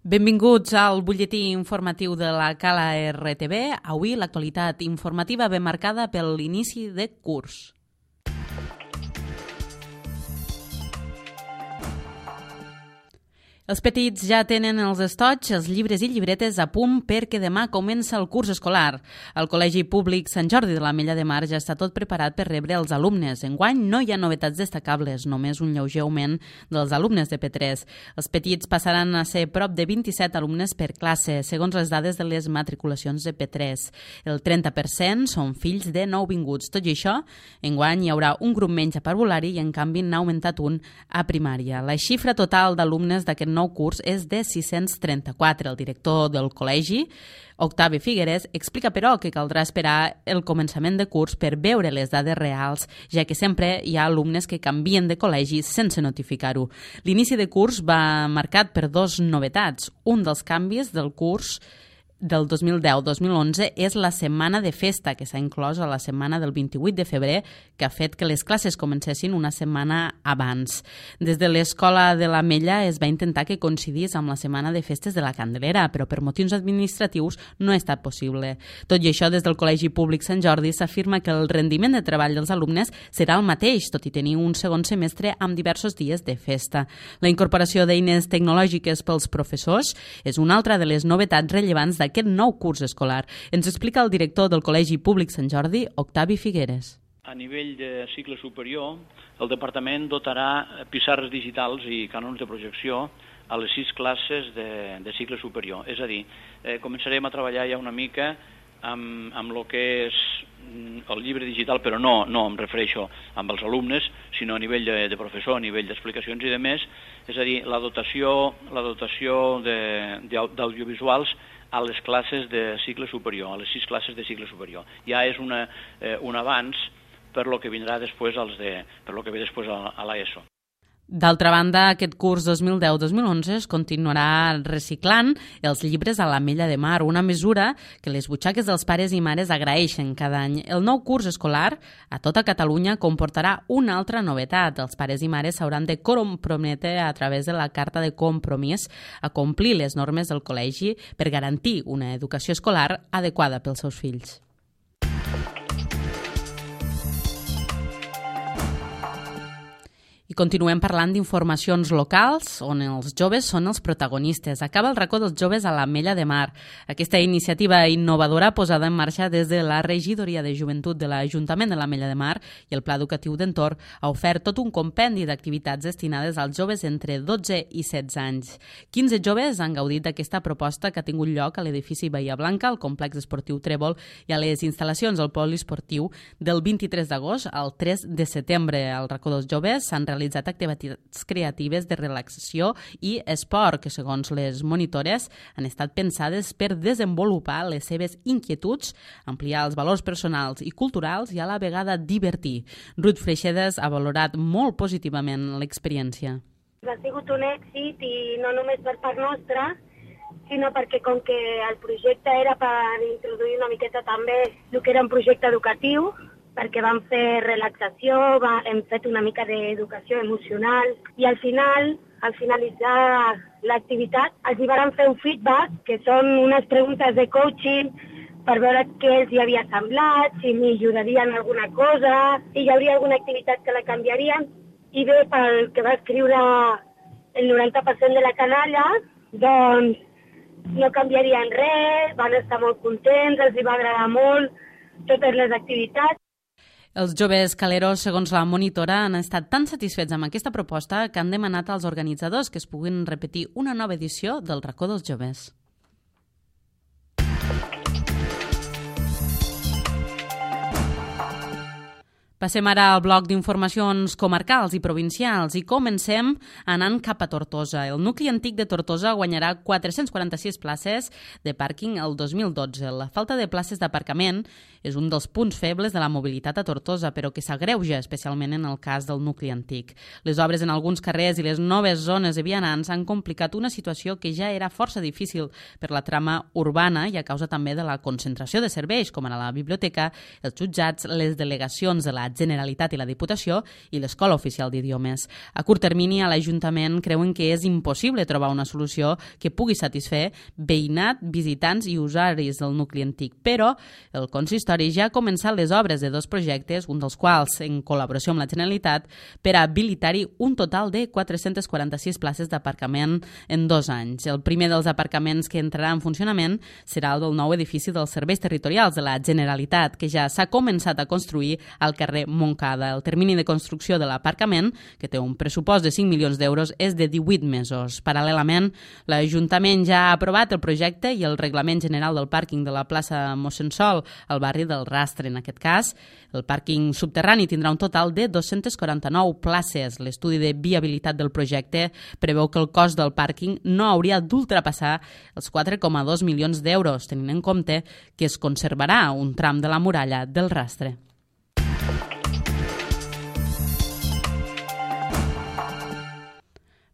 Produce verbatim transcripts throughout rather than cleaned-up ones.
Benvinguts al butlletí informatiu de la Cala R T V. Avui l'actualitat informativa ve marcada per l'inici de curs. Els petits ja tenen els estoigs, els llibres i llibretes a punt perquè demà comença el curs escolar. El Col·legi Públic Sant Jordi de l'Ametlla de Mar ja està tot preparat per rebre els alumnes. Enguany no hi ha novetats destacables, només un lleuger augment dels alumnes de P tres. Els petits passaran a ser prop de vint-i-set alumnes per classe, segons les dades de les matriculacions de P tres. El trenta per cent són fills de nouvinguts. Tot i això, enguany hi haurà un grup menys a parvulari i en canvi n'ha augmentat un a primària. La xifra total d'alumnes d'aquest nou curs és de sis-cents trenta-quatre. El director del col·legi, Octavi Figueres, explica però que caldrà esperar el començament de curs per veure les dades reals, ja que sempre hi ha alumnes que canvien de col·legi sense notificar-ho. L'inici de curs va marcat per dos novetats. Un dels canvis del curs del dos mil deu dos mil onze és la setmana de festa, que s'ha inclòs a la setmana del vint-i-vuit de febrer, que ha fet que les classes comencessin una setmana abans. Des de l'Escola de l'Ametlla es va intentar que coincidís amb la setmana de festes de la Candelera, però per motius administratius no ha estat possible. Tot i això, des del Col·legi Públic Sant Jordi s'afirma que el rendiment de treball dels alumnes serà el mateix, tot i tenir un segon semestre amb diversos dies de festa. La incorporació d'eines tecnològiques pels professors és una altra de les novetats rellevants d'aquest aquest nou curs escolar. Ens explica el director del Col·legi Públic Sant Jordi, Octavi Figueres. A nivell de cicle superior, el departament dotarà pissarres digitals i cànons de projecció a les sis classes de, de cicle superior. És a dir, eh, començarem a treballar ja una mica amb, amb el que és el llibre digital, però no, no em refereixo amb els alumnes, sinó a nivell de, de professor, a nivell d'explicacions i de més, és a dir, la dotació, la dotació d'audiovisuals a les classes de cicle superior, a les sis classes de cicle superior. Ja és una, eh, un avanç per lo que vindrà després als de, per lo que ve després a, a l'ESO. D'altra banda, aquest curs dos mil deu dos mil onze es continuarà reciclant els llibres a l'Ametlla de Mar, una mesura que les butxaques dels pares i mares agraeixen cada any. El nou curs escolar a tota Catalunya comportarà una altra novetat. Els pares i mares s'hauran de comprometre a través de la carta de compromís a complir les normes del col·legi per garantir una educació escolar adequada pels seus fills. I continuem parlant d'informacions locals, on els joves són els protagonistes. Acaba el racó dels joves a l'Ametlla de Mar. Aquesta iniciativa innovadora posada en marxa des de la Regidoria de Joventut de l'Ajuntament de l'Ametlla de Mar i el Pla Educatiu d'Entorn ha ofert tot un compendi d'activitats destinades als joves entre dotze i setze anys. quinze joves han gaudit d'aquesta proposta que ha tingut lloc a l'edifici Bahia Blanca, al complex esportiu Trèvol i a les instal·lacions del poliesportiu del vint-i-tres d'agost al tres de setembre. Al racó dels joves s'han realitzat realitzat activitats creatives de relaxació i esport que, segons les monitores, han estat pensades per desenvolupar les seves inquietuds, ampliar els valors personals i culturals i a la vegada divertir. Ruth Freixedes ha valorat molt positivament l'experiència. Ha sigut un èxit i no només per part nostra, sinó perquè com que el projecte era per introduir una miqueta també el que era un projecte educatiu, perquè vam fer relaxació, va, hem fet una mica d'educació emocional i al final, al finalitzar l'activitat, els hi van fer un feedback, que són unes preguntes de coaching per veure què els hi havia semblat, si millorarien alguna cosa, si hi hauria alguna activitat que la canviarien. I bé, pel que va escriure el noranta per cent de la canalla, doncs no canviarien res, van estar molt contents, els hi va agradar molt totes les activitats. Els joves caleros, segons la monitora, han estat tan satisfets amb aquesta proposta que han demanat als organitzadors que es puguin repetir una nova edició del racó dels joves. Passem ara al bloc d'informacions comarcals i provincials i comencem anant cap a Tortosa. El nucli antic de Tortosa guanyarà quatre-cents quaranta-sis places de pàrquing el dos mil dotze. La falta de places d'aparcament és un dels punts febles de la mobilitat a Tortosa, però que s'agreuja especialment en el cas del nucli antic. Les obres en alguns carrers i les noves zones de vianants han complicat una situació que ja era força difícil per la trama urbana i a causa també de la concentració de serveis, com ara la biblioteca, els jutjats, les delegacions de la Generalitat i la Diputació i l'Escola Oficial d'Idiomes. A curt termini, a l'Ajuntament creuen que és impossible trobar una solució que pugui satisfer veïnat, visitants i usuaris del nucli antic, però el consistori ja ha començat les obres de dos projectes, un dels quals en col·laboració amb la Generalitat, per a habilitar-hi un total de quatre-centes quaranta-sis places d'aparcament en dos anys. El primer dels aparcaments que entrarà en funcionament serà el del nou edifici dels serveis territorials de la Generalitat, que ja s'ha començat a construir al carrer Montcada. El termini de construcció de l'aparcament, que té un pressupost de cinc milions d'euros, és de divuit mesos. Paral·lelament, l'Ajuntament ja ha aprovat el projecte i el reglament general del pàrquing de la plaça Mossèn Sol, al barri del Rastre. En aquest cas, el pàrquing subterrani tindrà un total de dos-centes quaranta-nou places. L'estudi de viabilitat del projecte preveu que el cost del pàrquing no hauria d'ultrapassar els quatre coma dos milions d'euros, tenint en compte que es conservarà un tram de la muralla del Rastre.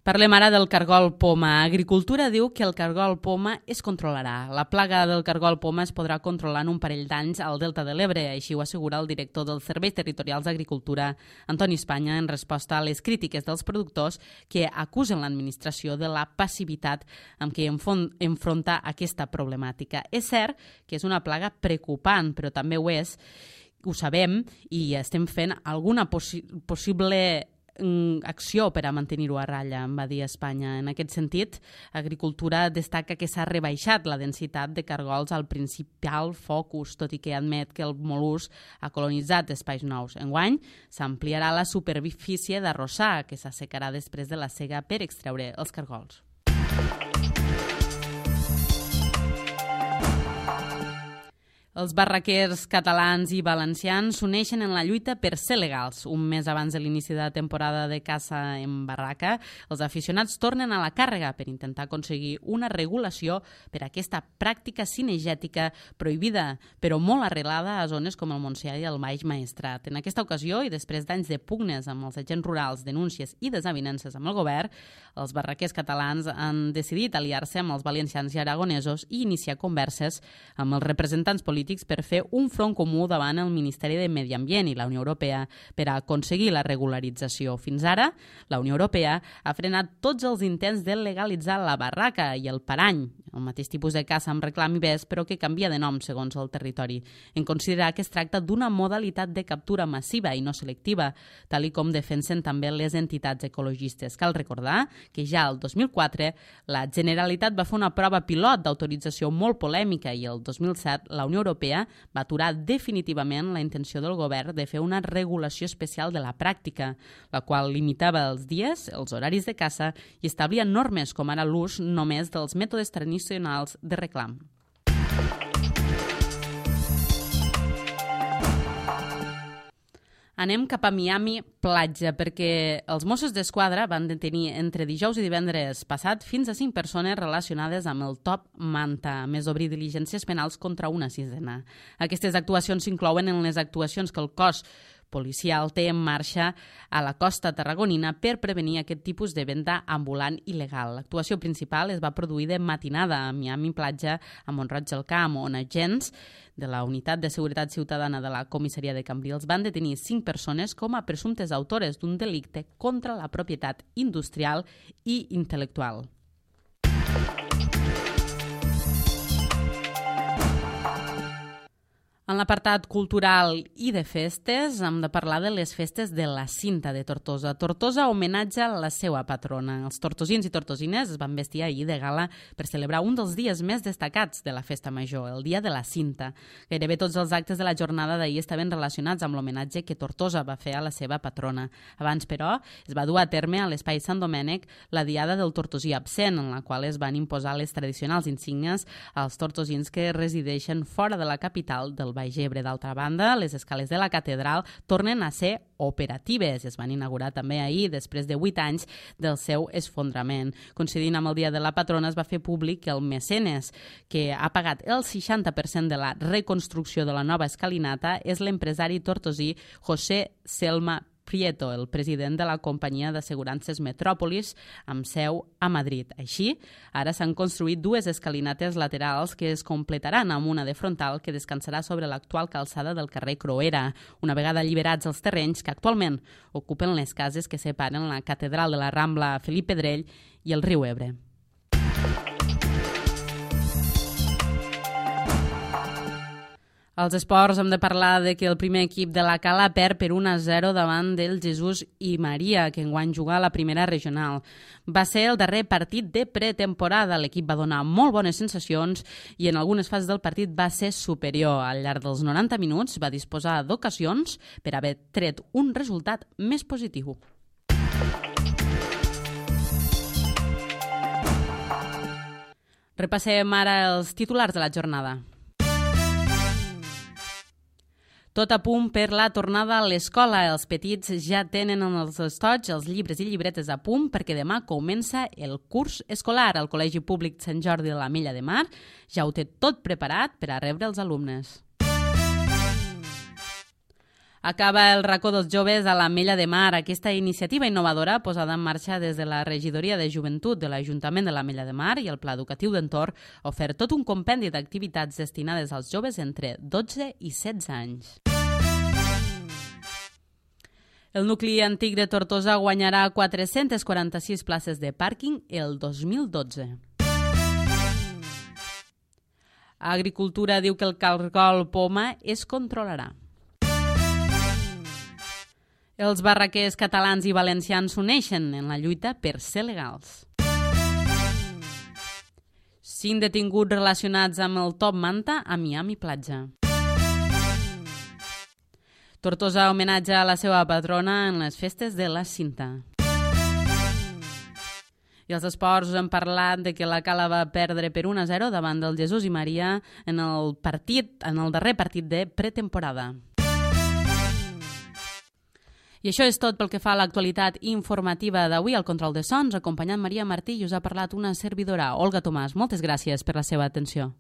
Parlem ara del cargol poma. Agricultura diu que el cargol poma es controlarà. La plaga del cargol poma es podrà controlar en un parell d'anys al Delta de l'Ebre, així ho assegura el director dels Serveis Territorials d'Agricultura, Antoni Espanya, en resposta a les crítiques dels productors que acusen l'administració de la passivitat amb què enfronta aquesta problemàtica. És cert que és una plaga preocupant, però també ho és, ho sabem, i estem fent alguna possi- possible acció per a mantenir-ho a ratlla, em va dir Espanya. En aquest sentit, Agricultura destaca que s'ha rebaixat la densitat de cargols al principal focus, tot i que admet que el mol·lusc ha colonitzat espais nous. Enguany, s'ampliarà la superfície d'arrossar, que s'assecarà després de la sega per extreure els cargols. Els barraquers catalans i valencians s'uneixen en la lluita per ser legals. Un mes abans de l'inici de la temporada de caça en barraca, els aficionats tornen a la càrrega per intentar aconseguir una regulació per a aquesta pràctica cinegètica prohibida, però molt arrelada a zones com el Montsià i el Baix Maestrat. En aquesta ocasió, i després d'anys de pugnes amb els agents rurals, denúncies i desavinences amb el govern, els barraquers catalans han decidit aliar-se amb els valencians i aragonesos i iniciar converses amb els representants polítics per fer un front comú davant el Ministeri de Medi Ambient i la Unió Europea per a aconseguir la regularització. Fins ara, la Unió Europea ha frenat tots els intents de legalitzar la barraca i el parany, el mateix tipus de caça amb reclam i bes, però que canvia de nom segons el territori, en considerar que es tracta d'una modalitat de captura massiva i no selectiva, tal i com defensen també les entitats ecologistes. Cal recordar que ja el dos mil quatre la Generalitat va fer una prova pilot d'autorització molt polèmica i el dos mil set la Unió Europea va aturar definitivament la intenció del govern de fer una regulació especial de la pràctica, la qual limitava els dies, els horaris de caça i establia normes com ara l'ús només dels mètodes tradicionals de reclam. Anem cap a Miami Platja, perquè els Mossos d'Esquadra van detenir entre dijous i divendres passat fins a cinc persones relacionades amb el Top Manta, a més d'obrir diligències penals contra una sisena. Aquestes actuacions s'inclouen en les actuacions que el cos policial té en marxa a la costa tarragonina per prevenir aquest tipus de venda ambulant il·legal. L'actuació principal es va produir de matinada a Miami Platja, a Mont-roig del Camp, on agents de la Unitat de Seguretat Ciutadana de la Comissaria de Cambrils van detenir cinc persones com a presumptes autores d'un delicte contra la propietat industrial i intel·lectual. En l'apartat cultural i de festes hem de parlar de les festes de la Cinta de Tortosa. Tortosa homenatja la seva patrona. Els tortosins i tortosines es van vestir ahir de gala per celebrar un dels dies més destacats de la festa major, el dia de la Cinta. Gairebé tots els actes de la jornada d'ahir estaven relacionats amb l'homenatge que Tortosa va fer a la seva patrona. Abans, però, es va dur a terme a l'Espai Sant Domènec la diada del tortosí absent, en la qual es van imposar les tradicionals insígnies als tortosins que resideixen fora de la capital del Baix Ebre. D'altra banda, les escales de la catedral tornen a ser operatives. Es van inaugurar també ahir, després de vuit anys del seu esfondrament. Coincidint amb el dia de la patrona, es va fer públic que el mecenes que ha pagat el seixanta per cent de la reconstrucció de la nova escalinata és l'empresari tortosí José Selma Prieto, el president de la companyia d'assegurances Metròpolis, amb seu a Madrid. Així, ara s'han construït dues escalinates laterals que es completaran amb una de frontal que descansarà sobre l'actual calçada del carrer Croera, una vegada alliberats els terrenys que actualment ocupen les cases que separen la catedral de la Rambla Felip Pedrell i el riu Ebre. Als esports hem de parlar de que el primer equip de la Cala perd per un a zero davant del Jesús i Maria, que enguany juga a la primera regional. Va ser el darrer partit de pretemporada. L'equip va donar molt bones sensacions i en algunes fases del partit va ser superior. Al llarg dels noranta minuts va disposar d'ocasions per haver tret un resultat més positiu. Repassem ara els titulars de la jornada. Tot a punt per la tornada a l'escola. Els petits ja tenen en els estoig els llibres i llibretes a punt perquè demà comença el curs escolar. El Col·legi Públic Sant Jordi de l'Ametlla de Mar ja ho té tot preparat per a rebre els alumnes. Acaba el racó dels joves a l'Ametlla de Mar. Aquesta iniciativa innovadora posada en marxa des de la Regidoria de Joventut de l'Ajuntament de l'Ametlla de Mar i el Pla Educatiu d'Entorn ha ofert tot un compendi d'activitats destinades als joves entre dotze i setze anys. El nucli antic de Tortosa guanyarà quatre-centes quaranta-sis places de pàrquing el dos mil dotze. Agricultura diu que el cargol poma es controlarà. Els barraquers catalans i valencians s'uneixen en la lluita per ser legals. Cinc detinguts relacionats amb el Top Manta a Miami Platja. Tortosa homenatja a la seva patrona en les festes de la Cinta. I als esports us hem parlat de que la Cala va perdre per un a zero davant del Jesús i Maria en el partit, en el darrer partit de pretemporada. I això és tot pel que fa a l'actualitat informativa d'avui. Al control de sons, acompanyant Maria Martí, i us ha parlat una servidora, Olga Tomàs. Moltes gràcies per la seva atenció.